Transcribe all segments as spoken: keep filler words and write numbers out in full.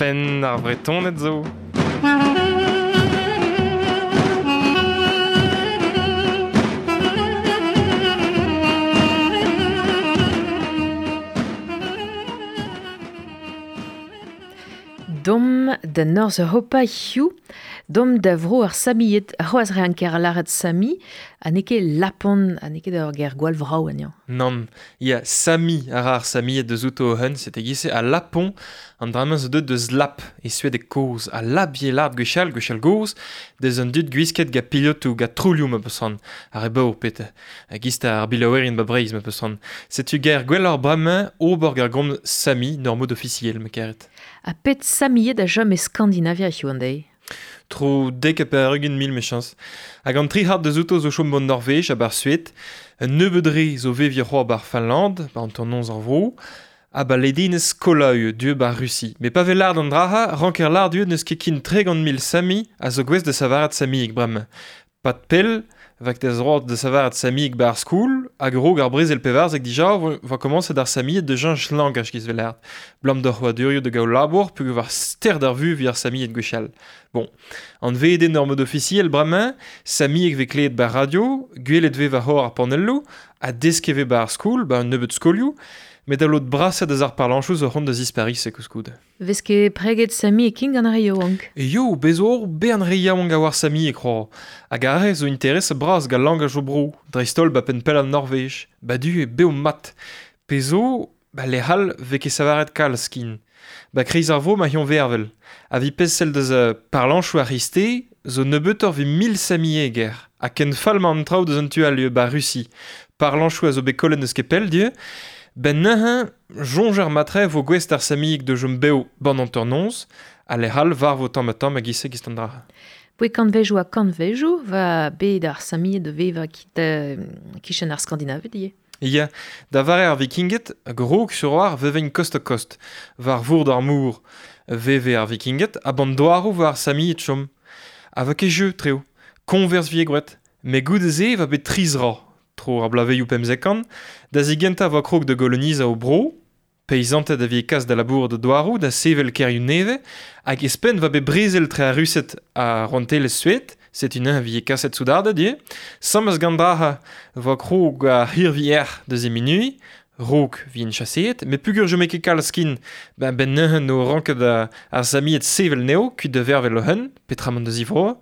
Penn ar Vretoned zo. Dom da Norz Europa hiu, dom da vro ar Samied, c'hoaz re an ker laret Sami, ha n'eo ket Lapon, ha n'eo ket ur ger gwall vrao anezhañ. Nann, ya, Sami a ra ar Samied deus outo o hun, set egise a Lapon, an dra-mañ zo deut deus Lap, e Suedeg kozh, a Lap ye lart gwechall, gwechall gozh, deus an dud gwisket ga pilotoù, ga troulioù ma peus an, ar re baour pet, a gist ar bilaouerien ba Breizh ma peus an. Setu ger gwelloc'h bremañ ober gar gomz Sami, n'ur mod ofisiel ma karet. Ha pet Samied a chom e Skandinavia hiziv an deiz? Tro dek ha pevar-ugent mil mechañs. Hag an tri c'hard deus outo zo chom ban Norvej ha bar Sued, un nebeud re zo veviñ c'hoazh bar Finland, bar an tornoz ar vro, ha ba ledinez Kolaü, dieu bar Russi. Met pa vez lard an draha, ranker lard dieu n'eus ket kin tregont mil Sami a zo gouest da savaret Samieg bremañ. Pat pell, vak da zroad da savaret Samieg bar skoul, hag rog ar brezel pevarzek dija va komañset ar Samied de jañch langaj giz vel lard. Blam d'ar c'hoadurioù de gaou labour pug war ster d'ar vu vi ar Samied gwechall. Bon, an veden ur mod ofisiel bremañ, Samieg vez kleet bar radio, gwelet vez war hor ar panelloù, ha deske vez bar skoul, bar un nebeud skolioù, met a lod braset eus ar parlanchoù zo c'hont da zisparis e koulskoude. Vez ket preget Sami e king gant ar re yaouank? E yo, bez zo ur bern re yaouank a war Sami e kroa. Hag ar re zo interes bras gant langaj o bro, dreist-holl ba penn pell an Norvej, ba du e bev mat. Pe zo, ba lec'hall vez ket savaret kalz kin. Ba kreiz ar vo ma hion vervel. A vi pesel deus uh, parlanchoù ar c'hriste, zo nebeutoc'h vi mil Samieger. Ha ken fall ma an traoù deus an tu al ba Russi. Parlanchoù a zo bet kollet neus ket pell, dieu. Ben neuze, soñj ar matre vo gouest ar Samieg de jom bev ban an tornoz, ha lec'hall war vo tamm ha tamm hag ise gist an dra. Boe kantvejoù ha kantvejoù va bet ar Samied de vevañ kit, euh, kichen ar Skandinaved ivez. Ya, da vare ar Vikinged, grog sur ar vevein kost a kost, war vourd ar mour veve ar Vikinged, ha ban doaroù war ar Samied chom. Ha va ket jeu, treo, konvers vie gwret, met goude-se va bet tri zra. Tro ar blaveioù pemzek an, da zigentañ va krog da golonizañ o bro, peizanted a vie kas da labour da doaroù, da sevel kêrioù nevez, hag espenn va bet brezel tre ar Rused ha rouantelezh Sued, setu neuze a vie kaset soudarded ivez, sammez gant draha va krog ar hirvier da ziminuiñ, rog vien chaseet, met pugur jome ket kalz kin, ben ben neuze no ranket ar, ar Samied sevel neo, kuit da vervel o hun, petramant da zivroa,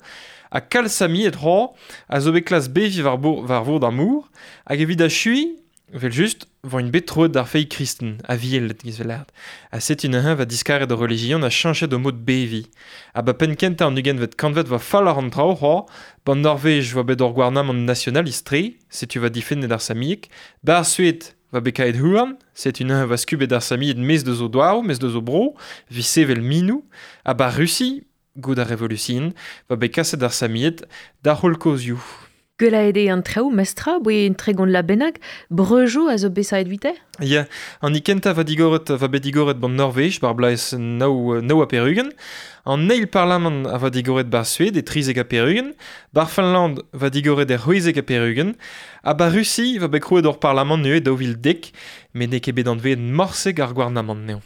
ha kalz Samied c'hoazh a zo bet klas beviñ war bour, war vourd ar mour, hag evit achuiñ, vel just, vo int bet troet d'ar feiz kristen, a viel giz vel lard. Ha setu neuze va diskaret o relijion a chañchet o mod beviñ. Ha ba penn kentañ an ugentvet kantved va fall ar an traoù c'hoazh, ban Norvej va bet ur gouarnamant nationalist-tre, setu va difennet ar Samieg, bar Sued va bet kaet houarn, setu neuze va skubet ar Samied mez deus o doaroù, mez deus o bro, vi sevel minou, ha bar Russi, gout ar revolution, va bet kaset ar Samied da c'holl kozioù. Gwelaet eo an traoù, mestra, boe un tregont la bennak, breujoù a zo besaet vite? Ya, an ikentañ va digoret, va bet digoret ban Norvej, bar blaez nav, nav ha perugen. An eil parlamant a va digoret bar Sued e trizek ha perugen. Bar Finland va digoret er c'hwezek ha perugen. Ha bar Russi va bet krouet ur parlamant neuze daou vil dek, met n'eo ket bet anvet morseg ar gouarnamant neo.